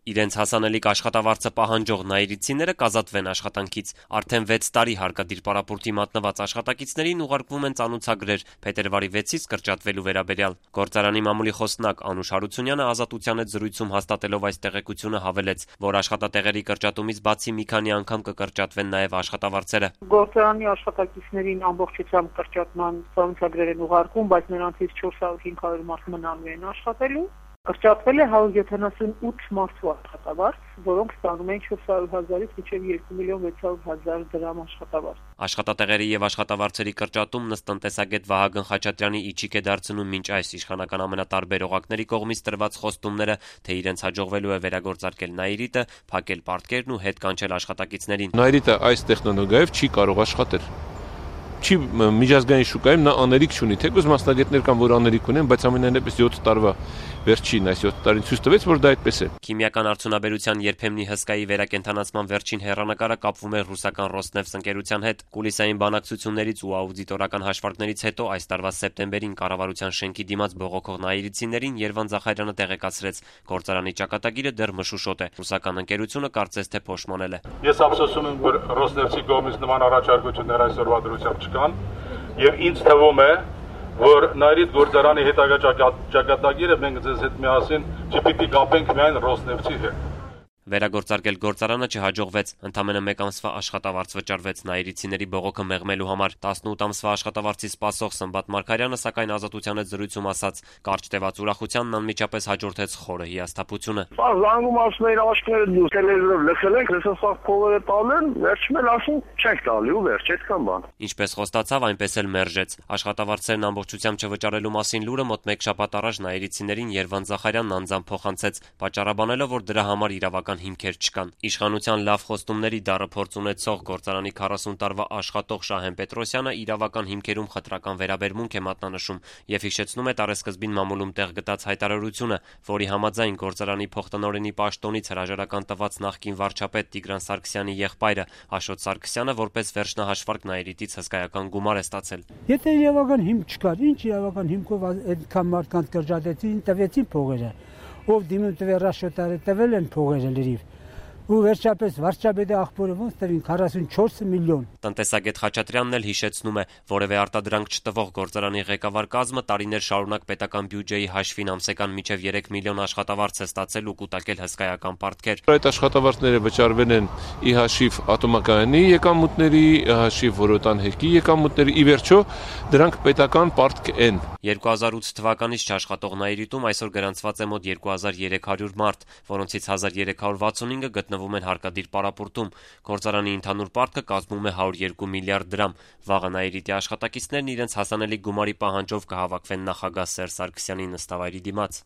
Իրենց հասանելիք աշխատավարձը պահանջող նայիրիցիները կազատվեն աշխատանքից։ Արդեն 6 տարի հարկադիր պարապորտի մատնված աշխատակիցներին ուղարկվում են ծանուցագրեր փետրվարի 6-ից կրճատվելու վերաբերյալ։ Գործարանի մամուլի խոսնակ Անուշ Հարությունյանը Ազատության հետ զրույցում հաստատելով այս տեղեկությունը հավելեց, որ աշխատատեղերի կրճատումից բացի մի քանի անգամ կկրճատվեն նաև աշխատավարձերը։ Գործարանի աշխատակիցներին ամբողջությամբ կրճատման ծանուցագրեր են ուղարկում, բայց նրանցից 400-500 մարդ մնալու են աշխատելու։ Կրճատվել է 178 մարդու աշխատավարձ, որոնք ստանում են 400,000-ից մինչև 2,600,000 դրամ աշխատավարձ։ Աշխատատեղերի եւ աշխատավարձերի կրճատումն ըստ տնտեսագետ Վահագն Խաչատրյանի իջիկ է դարձնում մինչ այս իշխանական ամենատարբեր օղակների կողմից տրված խոստումները, թե իրենց հաջողվելու է վերագործարկել Նայիրիտը, փակել պարտքերն ու հետ կանչել աշխատակիցներին։ Նայիրիտը այս տեխնոլոգիայով չի կարող աշխատել։ Չի միջազգային շուկայում նա աներիք չունի, թեկուզ մասնագետներ կան, որ աներիք ունեն, բայց ամենայնպես 7 տարվա վերջին այս 7 տարին ցույց տվեց, որ դա այդպես է։ Քիմիական արդյունաբերության երբեմնի հսկայի վերակենդանացման վերջին հեռանկարը կապվում է ռուսական Ռոսնեֆթ ընկերության հետ։ Կուլիսային բանակցություններից ու աուդիտորական հաշվարկներից հետո այս տարվա սեպտեմբերին կառավարության շենքի դիմաց բողոքող նայիրիցիներին Երվան Զախարյանը տեղեկացրեց, գործարանի ճակատագիրը դեռ մշուշոտ է։ Ռուսական ընկերությունը կարծես թե փոշմանել է։ Ես ափսոսում եմ, որ Ռոսնեֆթի կողմից նման առաջարկություններ այսօրվա դրությամբ չկան, եւ ինձ թվում է, որ Նայիրիտ գործարանի հետագա ճակատագիրը մենք ձեզ հետ միասին չպիտի կապենք միայն Ռոսնեֆթի հետ։ Վերագործարկել գործարանը չհաջողվեց, ընդամենը 1 ամսվա աշխատավարձ վճարվեց նայիրիցիների բողոքը մեղմելու համար։ 18 ամսվա աշխատավարձի սպասող Սմբատ Մարգարյանը սակայն Ազատության հետ զրույցում ասաց, կարճ տևած ուրախությանն անմիջապես հաջորդեց խորը հիասթափությունը։ Զանգում ասում էին աշկները տելեվիզորով լսել ենք, լսող փողերը տալեն, վերջում էլ ասում չենք տալի ու վերջ այդքան բան։ Ինչպես խոստացավ, այնպես էլ մերժեց։ Աշխատավարձերն ամբողջությամբ չվճարելու մասին լուրը մոտ 1 շաբաթ առաջ նայիրիցիներին Երվան Զախարյանն անձամբ փոխանցեց, պատճառաբանելով, որ դրա համար իրավական հիմքեր չկան։ Իշխանության լավ խոստումների դառը փորձ ունեցող գործարանի 40 տարվա աշխատող Շահեն Պետրոսյանը իրավական հիմքերում խտրական վերաբերմունք է մատնանշում եւ հիշեցնում է տարեսկզբին մամուլում տեղ գտած հայտարարությունը, որի համաձայն գործարանի փոխտնօրենի պաշտոնից հրաժարական տված նախկին վարչապետ Տիգրան Սարգսյանի եղբայրը Աշոտ Սարգսյանը որպես վերջնահաշվարկ Նայիրիտից հսկայական գումար է ստացել։ Եթե իրավական հիմք չկար, ինչ իրավական հիմքով այդքան մարդկանց կրճատեցին, տվեցին փողերը, ով դիմում տվեր Աշոտարը, տվել են փողերը լրիվ։ Ու վերջապես վարչապետի աղբորը ոնց տվին 44 միլիոն։ Տնտեսագետ Խաչատրյանն էլ հիշեցնում է, որևէ արտադրանք չտվող գործարանի ղեկավար կազմը տարիներ շարունակ պետական բյուջեի հաշվին ամսական մինչև 3 միլիոն աշխատավարձ է ստացել ու կուտակել հսկայական պարտքեր։ Այդ աշխատավարձները վճարվել են ի հաշիվ ատոմակայանի եկամուտների, ի հաշիվ որոտան հերկի եկամուտների, ի վերջո դրանք պետական պարտք են։ 2008 թվականից չաշխատող Նայիրիտում այսօր գրանցված է մոտ 2300 մարդ, որոնցից 1365-ը գտնվում են հարկադիր պարապորտում։ Գործարանի ընդհանուր պարտքը կազմում է 102 միլիարդ դրամ։ Վաղը Նայիրիտի աշխատակիցներն իրենց հասանելիք գումարի պահանջով կհավաքվեն նախագահ Սերժ Սարգսյանի նստավայրի դիմաց։